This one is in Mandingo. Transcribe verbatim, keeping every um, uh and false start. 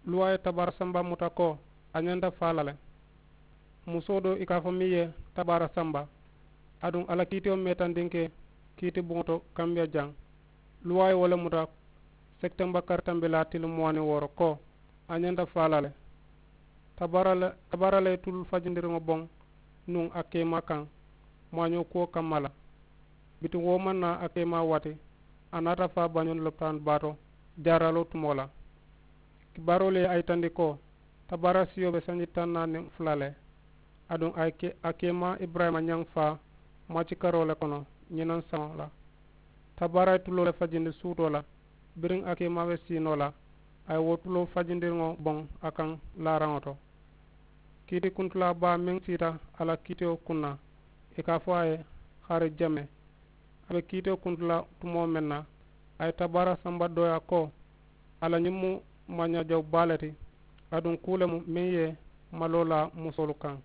Luwaa ye tabaara samba muta ko a ñanta faa la le. Musoo doo i ka a fo meŋ ye tabaara samba. Aduŋ a la kiitiyo meeta ndinkee kiiti buŋo to kambiya jaŋ. Luwaa ye wo le muta sekitemba kari tambilaa tili muwaani wooro ko a ñanta faa la le. Tabaara le tabaara le ye tulu fajindiriŋo boŋ nuŋ a keemaa kaŋ maañoo kuwo kamma la. Bituŋ wo maŋ naa a keemaa waati a naata faa bañoŋ lopitaanu baa to jaaraaloo tumoo la. Kibaaroolu ye a yitandi ko tabaara siyo be sanji taŋ naani niŋ fula le. Aduŋ a ye ke a keemaa iburayima ñaŋ faa maaci karoo le kono ñinaŋ saŋo la. Tabaara ye tuloo le fajindi suutoo la biriŋ a keemaa be siinoo la. A ye wo tuloo fajindiriŋo boŋ a kaŋ laaraŋo to. Kiiti kuntulaa baa meŋ siita a la kiitiyo kuŋ na i ka a fo a ye xari jeme. A be kiitiyo kuntulaa tumoo meŋ na a ye tabaara samba dooyaa ko a la ñiŋ mu maañaajaw baa le ti. Aduŋ kuu le mu meŋ ye maloo laa musoolu kaŋ.